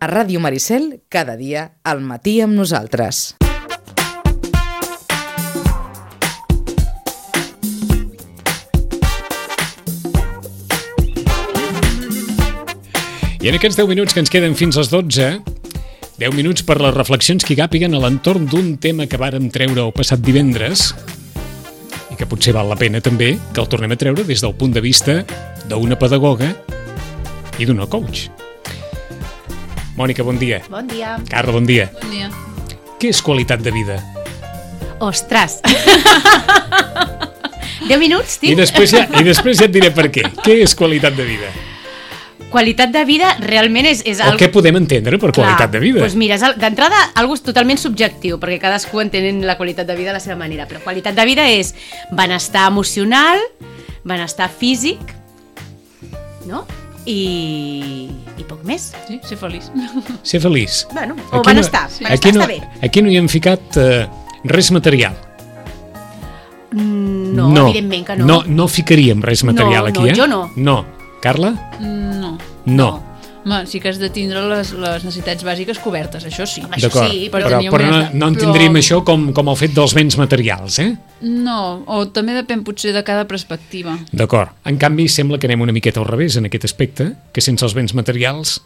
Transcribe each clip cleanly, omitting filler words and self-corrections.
A Ràdio Maricel, cada dia al matí amb nosaltres. I en aquests 10 minuts que ens queden fins als 12, 10 minuts per les reflexions que hi càpiguen a l'entorn d'un tema que vàrem treure el passat divendres i que potser val la pena també que el tornem a treure des del punt de vista d'una pedagoga i d'una coach. Mònica, bon dia. Bon dia. Carla, bon dia. Bon dia. Què és qualitat de vida? Ostres! 10 minuts, I tinc? després ja et diré per què. Què és qualitat de vida? Qualitat de vida realment és O què podem entendre per qualitat de vida? Doncs mira, d'entrada, algo totalment subjectiu, perquè cadascú entén la qualitat de vida a la seva manera, però qualitat de vida és benestar emocional, benestar físic, no? I poc més. Sí, ser feliç. Ser feliç. Bueno, o benestar. Benestar està bé. Aquí no hi hem ficat res material. No, evidentment que no. No ficaríem res material aquí, eh? Jo no. No. Carla? No. Home, sí que has de tindre les necessitats bàsiques cobertes, això sí. Home, això D'acord, sí, però no entendríem això com el fet dels béns materials, eh? No, o també depèn potser de cada perspectiva. D'acord. En canvi, sembla que anem una miqueta al revés en aquest aspecte, que sense els béns materials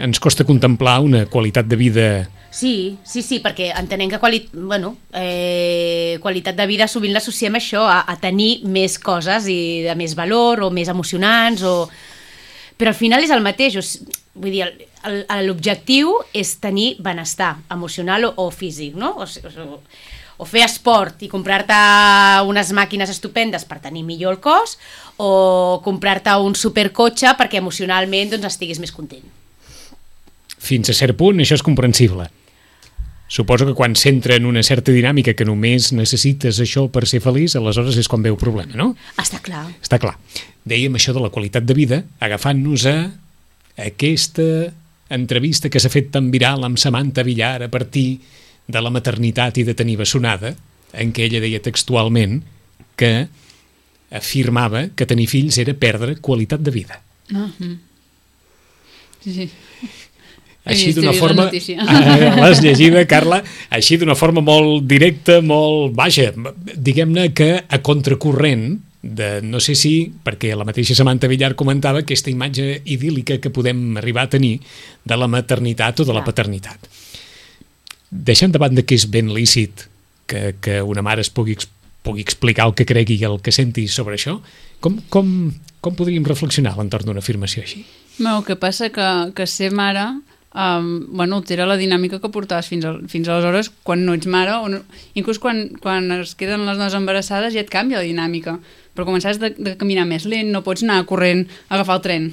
ens costa contemplar una qualitat de vida... Sí, perquè entenem que qualitat de vida sovint l'associem a això, a tenir més coses i de més valor o més emocionants, però al final és el mateix. Vull dir, l'objectiu és tenir benestar emocional o físic, no? O fer esport i comprar-te unes màquines estupendes per tenir millor el cos, o comprar-te un supercotxe perquè emocionalment doncs, estiguis més content. Fins a cert punt, això és comprensible. Suposo que quan s'entra en una certa dinàmica que només necessites això per ser feliç, aleshores és quan ve el problema, no? Està clar. Està clar. Dèiem això de la qualitat de vida, agafant-nos a aquesta entrevista que s'ha fet tan viral amb Samantha Villar a partir de la maternitat i de tenir bessonada, en què ella deia textualment que afirmava que tenir fills era perdre qualitat de vida. Sí. Així d'una forma... L'has llegida, Carla? Així d'una forma molt directa, molt... Vaja, diguem-ne que a contracorrent de... No sé si, perquè la mateixa Samantha Villar comentava aquesta imatge idíl·lica que podem arribar a tenir de la maternitat o de la paternitat. Deixant de banda que és ben lícit que una mare es pugui explicar el que cregui i el que senti sobre això, com podríem reflexionar a l'entorn d'una afirmació així? El que passa que ser mare... altera la dinàmica que portaves fins aleshores quan no ets mare, inclús quan es queden les dones embarassades ja et canvia la dinàmica, però començaràs de caminar més lent, no pots anar corrent a agafar el tren,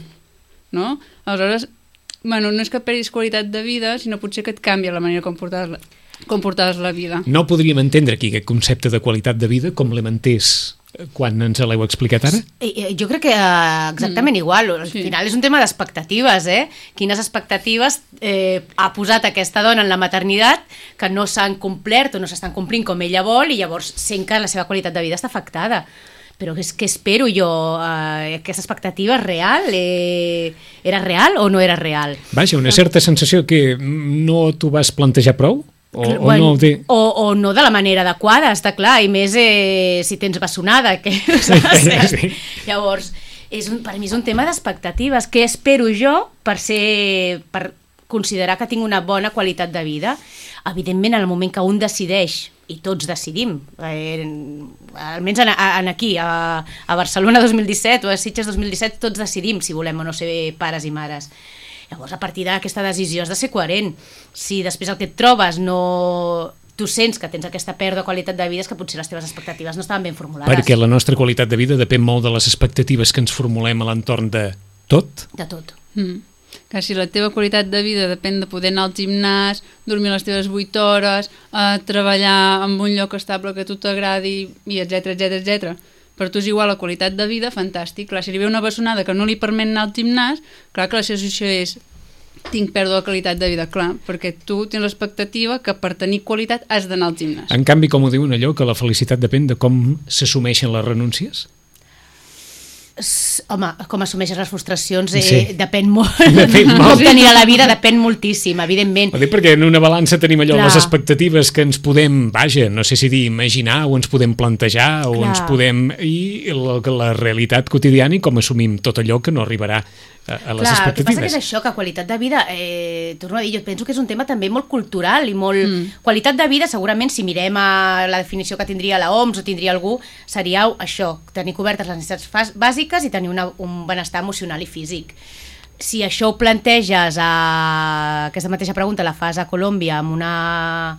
no? Aleshores, no és que perdis qualitat de vida, sinó potser que et canvia la manera com portaves la vida. No podríem entendre aquí aquest concepte de qualitat de vida com l'hem entès quan ens l'heu explicat ara? Jo crec que exactament igual. Al final és un tema d'expectatives, Quines expectatives ha posat aquesta dona en la maternitat que no s'han complert o no s'estan complint com ella vol, i llavors sent que la seva qualitat de vida està afectada. Però què espero jo? Aquesta expectativa és real? Era real o no era real? Vaja, una certa sensació que no t'ho vas plantejar prou? O no de la manera adequada, està clar, i més si tens bessonada, que sí. Llavors, per mi és un tema d'expectatives. Què espero jo per considerar que tinc una bona qualitat de vida? Evidentment, en el moment que un decideix, i tots decidim, almenys aquí, a Barcelona 2017 o a Sitges 2017, tots decidim si volem o no ser pares i mares. Llavors, a partir d'aquesta decisió has de ser coherent. Si després el que et trobes tu sents que tens aquesta pèrdua de qualitat de vida, és que potser les teves expectatives no estaven ben formulades. Perquè la nostra qualitat de vida depèn molt de les expectatives que ens formulem a l'entorn de tot? De tot. Que si la teva qualitat de vida depèn de poder anar al gimnàs, dormir les teves 8 hores, treballar en un lloc estable que a tu t'agradi, i etcètera, per tu és igual la qualitat de vida, fantàstic. Clar, si hi ve una bessonada que no li permet anar al gimnàs, clar que la situació és tinc pèrdua de qualitat de vida, clar, perquè tu tens l'expectativa que per tenir qualitat has d'anar al gimnàs. En canvi, com ho diuen allò, que la felicitat depèn de com s'assumeixen les renúncies? Home, com assumeixes les frustracions depèn molt. Com tenir a la vida depèn moltíssim, evidentment. Ho dic perquè en una balança tenim allò, les expectatives que ens podem, no sé si dir imaginar, o ens podem plantejar, o ens podem... I la realitat quotidiana i com assumim tot allò que no arribarà a les expectatives. El que passa que és això, que qualitat de vida, torno a dir, jo penso que és un tema també molt cultural i molt... Qualitat de vida, segurament, si mirem a la definició que tindria la OMS o tindria algú, seria això, tenir cobertes les necessitats bàsiques i tenir un benestar emocional i físic. Si això ho planteges aquesta mateixa pregunta la fas a Colòmbia amb una...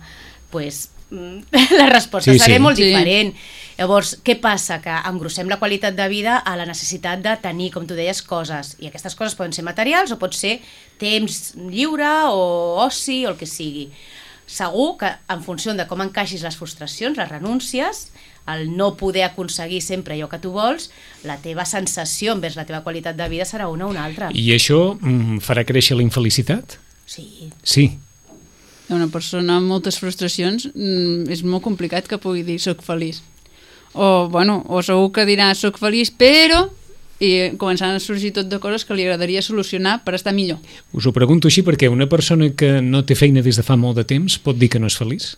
la resposta serà molt diferent. Llavors, què passa? Que engrossem la qualitat de vida a la necessitat de tenir, com tu deies, coses. I aquestes coses poden ser materials o pot ser temps lliure o oci o el que sigui. Segur que en funció de com encaixis les frustracions, les renúncies, el no poder aconseguir sempre allò que tu vols, la teva sensació envers la teva qualitat de vida serà una o una altra. I això farà créixer la infelicitat? Sí. Sí. Una persona amb moltes frustracions és molt complicat que pugui dir soc feliç. O segur que dirà soc feliç, però... i començaran a sorgir tot de coses que li agradaria solucionar per estar millor. Us ho pregunto així perquè una persona que no té feina des de fa molt de temps pot dir que no és feliç?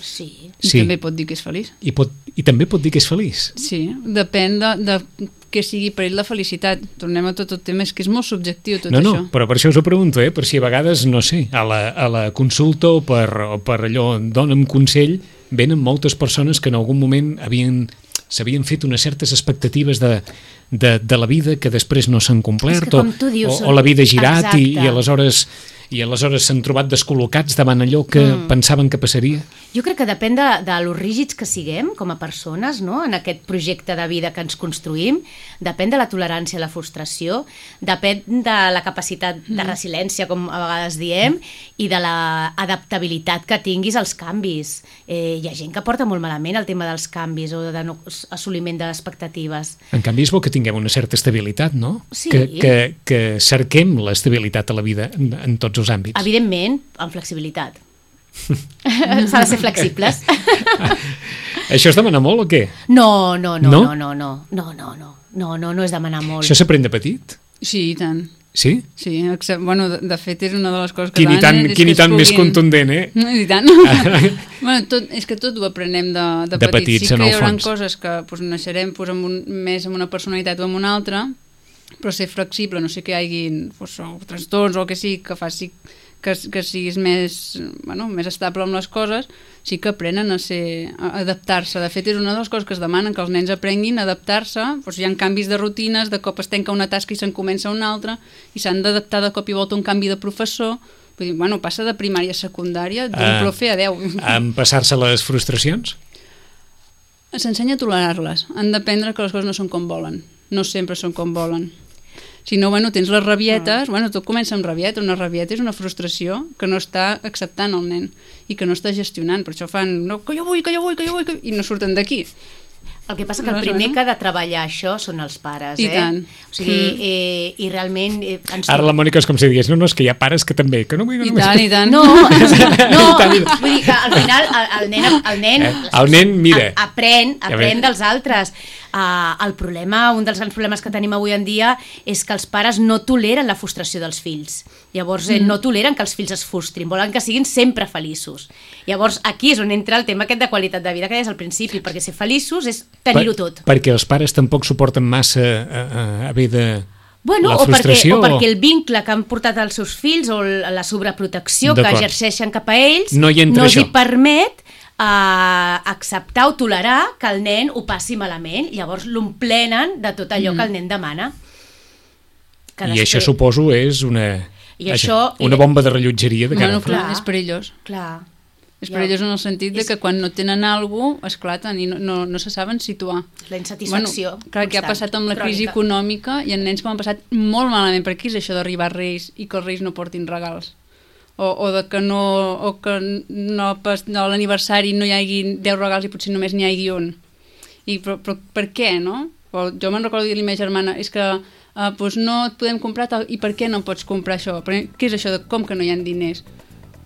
Sí. I també pot dir que és feliç. I també pot dir que és feliç? Sí, depèn de què sigui per ell la felicitat. Tornem a tot el tema, és que és molt subjectiu tot això. No, però per això us ho pregunto, per si a vegades, no sé, a la consulta o per allò, dona'm consell, venen moltes persones que en algun moment s'havien fet unes certes expectatives de la vida que després no s'han complert, o la vida ha girat i aleshores s'han trobat descol·locats davant allò que pensaven que passaria. Jo crec que depèn de lo rígids que siguem com a persones, no? En aquest projecte de vida que ens construïm, depèn de la tolerància a la frustració, depèn de la capacitat de resiliència, com a vegades diem, i de l'adaptabilitat que tinguis als canvis. Hi ha gent que porta molt malament el tema dels canvis o de no assoliment de les expectatives. En canvi, és bo que tinguem una certa estabilitat, no? Sí. Que cerquem l'estabilitat a la vida en tots els àmbits. Evidentment, amb flexibilitat. S'ha de ser flexibles. Això és demanar molt o què? No és demanar molt. Això s'aprèn de petit? Sí, i tant. Sí? Sí, de fet és una de les coses que... Quin i tant més contundent, I tant. És que tot ho aprenem de petits. Sí que hi haurà coses que naixerem més amb una personalitat o amb una altra, però ser flexible, no sé que hi hagi trastorns o el que sigui que faci que siguis més estable amb les coses, sí que aprenen a adaptar-se. De fet, és una de les coses que es demanen, que els nens aprenguin a adaptar-se. Hi ha canvis de rutines, de cop es tanca una tasca i se'n comença una altra, i s'han d'adaptar de cop i volta a un canvi de professor. Vull dir, passa de primària a secundària, d'un profe a 10. En passar-se les frustracions? S'ensenya a tolerar-les. Han d'aprendre que les coses no són com volen. No sempre són com volen. Si no, tens les rabietes, tot comença amb rabieta. Una rabieta és una frustració que no està acceptant el nen i que no està gestionant. Per això fan, que jo vull, i no surten d'aquí. El que passa que el primer que ha de treballar això són els pares, I tant. O sigui, i realment... Ara la Mònica és com si digués, no, és que hi ha pares que també, que no vull... I tant. No, vull dir que al final el nen mira, aprèn dels altres. El problema, un dels grans problemes que tenim avui en dia és que els pares no toleren la frustració dels fills. Llavors no toleren que els fills es frustrin, volen que siguin sempre feliços. Llavors aquí és on entra el tema aquest de qualitat de vida que deies al principi, perquè ser feliços és tenir-ho tot. Perquè els pares tampoc suporten massa haver de... la frustració, o perquè el vincle que han portat als seus fills o la sobreprotecció que exerceixen cap a ells no els hi permet acceptar o tolerar que el nen ho passi malament. Llavors l'omplenen de tot allò que el nen demana. I això suposo és una bomba de rellotgeria de cara. Clar, és perillós. Clar. És perillós en el sentit de que quan no tenen alguna cosa esclaten i no se saben situar. La insatisfacció clar, que ha passat amb la crisi econòmica i en nens que m'han passat molt malament, perquè és això d'arribar a Reis i que els Reis no portin regals. O que a l'aniversari no hi hagi 10 regals i potser només n'hi hagi un. Però per què, no? Jo me'n recordo dir-li a la meva germana, és que no et podem comprar tal, i per què no pots comprar això? Què és això de com que no hi ha diners?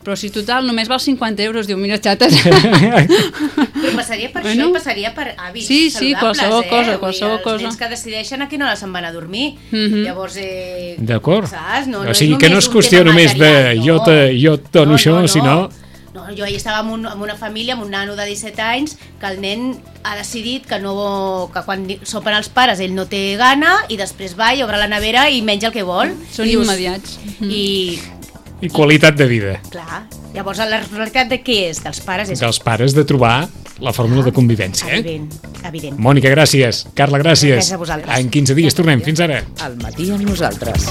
Però si total només val 50 euros, diu, mira, xates. Però passaria per això i passaria per hàbits saludables, Sí, qualsevol cosa, qualsevol cosa. Els nens que decideixen a quina hora se'n van a dormir. Llavors, d'acord. saps? O sigui, que no és qüestió només de jo et dono això, sinó... No, jo ahir estava amb una família, amb un nano de 17 anys, que el nen ha decidit que quan sopen els pares ell no té gana i després va i obre la nevera i menja el que vol. Són immediats. I qualitat de vida. Clar. Llavors, la responsabilitat de què és? Dels pares és... Dels pares de trobar la fórmula de convivència. Evident. Mònica, gràcies. Carla, gràcies. Gràcies a vosaltres. En 15 dies tornem. Fins ara. Al matí amb nosaltres.